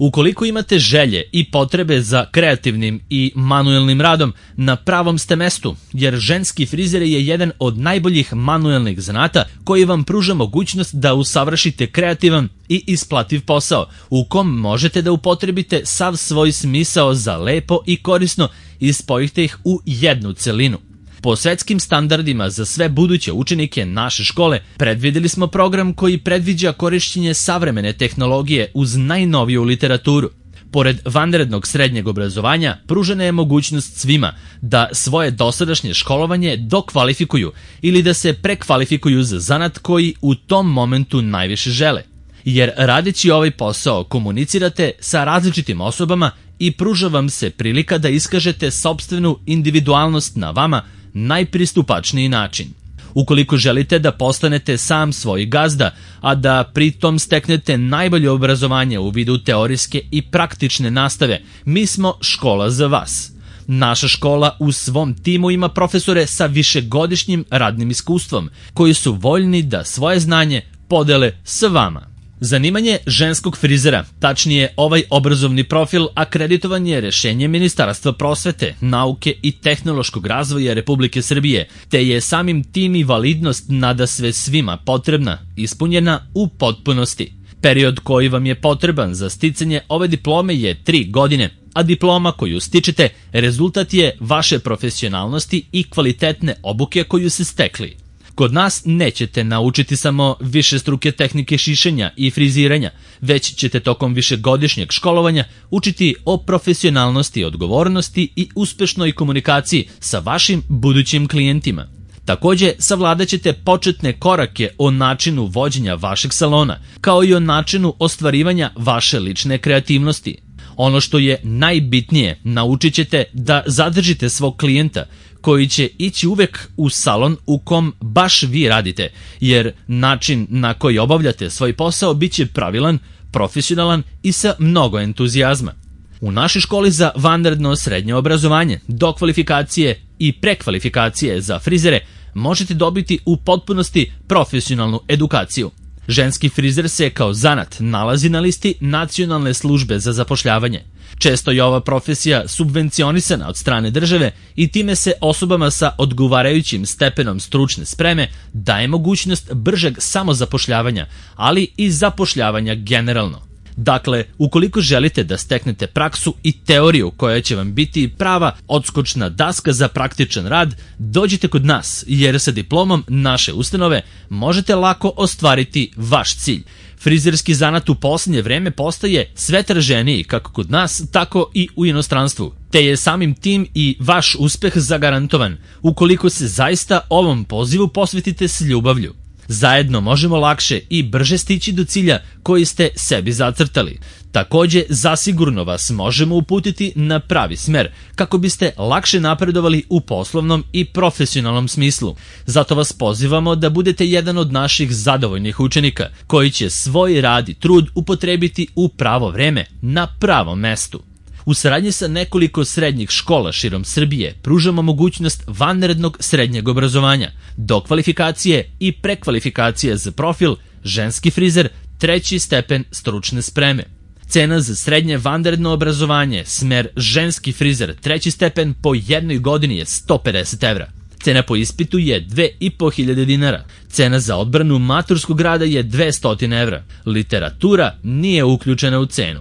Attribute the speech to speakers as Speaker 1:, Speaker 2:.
Speaker 1: Ukoliko imate želje i potrebe za kreativnim i manuelnim radom, na pravom ste mestu, jer ženski frizer je jedan od najboljih manuelnih zanata koji vam pruža mogućnost da usavršite kreativan i isplativ posao, u kom možete da upotrebite sav svoj smisao za lepo i korisno i spojite ih u jednu celinu. Po svetskim standardima za sve buduće učenike naše škole predvideli smo program koji predviđa korišćenje savremene tehnologije uz najnoviju literaturu. Pored vanrednog srednjeg obrazovanja, pružena je mogućnost svima da svoje dosadašnje školovanje dokvalifikuju ili da se prekvalifikuju za zanat koji u tom momentu najviše žele. Jer radeći ovaj posao komunicirate sa različitim osobama i pruža vam se prilika da iskažete sopstvenu individualnost na vama najpristupačniji način. Ukoliko želite da postanete sam svoj gazda, a da pritom steknete najbolje obrazovanje u vidu teorijske i praktične nastave, mi smo škola za vas. Naša škola u svom timu ima profesore sa višegodišnjim radnim iskustvom, koji su voljni da svoje znanje podele sa vama. Zanimanje ženskog frizera, tačnije ovaj obrazovni profil, akreditovan je rešenjem Ministarstva prosvete, nauke i tehnološkog razvoja Republike Srbije, te je samim tim i validnost nadasve svima potrebna, ispunjena u potpunosti. Period koji vam je potreban za sticanje ove diplome je 3 godine, a diploma koju stičete rezultat je vaše profesionalnosti i kvalitetne obuke koju ste stekli. Kod nas nećete naučiti samo višestruke tehnike šišanja i friziranja, već ćete tokom višegodišnjeg školovanja učiti o profesionalnosti, odgovornosti i uspešnoj komunikaciji sa vašim budućim klijentima. Takođe, savladat ćete početne korake o načinu vođenja vašeg salona, kao i o načinu ostvarivanja vaše lične kreativnosti. Ono što je najbitnije, naučit ćete da zadržite svog klijenta, koji će ići uvek u salon u kom baš vi radite, jer način na koji obavljate svoj posao bit će pravilan, profesionalan i sa mnogo entuzijazma. U našoj školi za vanredno srednje obrazovanje, dokvalifikacije i prekvalifikacije za frizere možete dobiti u potpunosti profesionalnu edukaciju. Ženski frizer se kao zanat nalazi na listi Nacionalne službe za zapošljavanje. Često je ova profesija subvencionisana od strane države i time se osobama sa odgovarajućim stepenom stručne spreme daje mogućnost bržeg samozapošljavanja, ali i zapošljavanja generalno. Dakle, ukoliko želite da steknete praksu i teoriju koja će vam biti prava odskočna daska za praktičan rad, dođite kod nas, jer sa diplomom naše ustanove možete lako ostvariti vaš cilj. Frizerski zanat u posljednje vreme postaje sve traženiji kako kod nas, tako i u inostranstvu, te je samim tim i vaš uspeh zagarantovan, ukoliko se zaista ovom pozivu posvetite s ljubavlju. Zajedno možemo lakše i brže stići do cilja koji ste sebi zacrtali. Takođe, zasigurno vas možemo uputiti na pravi smer, kako biste lakše napredovali u poslovnom i profesionalnom smislu. Zato vas pozivamo da budete jedan od naših zadovoljnih učenika, koji će svoj rad i trud upotrebiti u pravo vreme, na pravom mestu. U saradnji sa nekoliko srednjih škola širom Srbije pružamo mogućnost vanrednog srednjeg obrazovanja, dokvalifikacije i prekvalifikacije za profil ženski frizer 3. stepen stručne spreme. Cena za srednje vanredno obrazovanje, smer ženski frizer 3. stepen po jednoj godini je 150 evra. Cena po ispitu je 2.500 dinara. Cena za odbranu maturskog rada je 200 evra. Literatura nije uključena u cenu.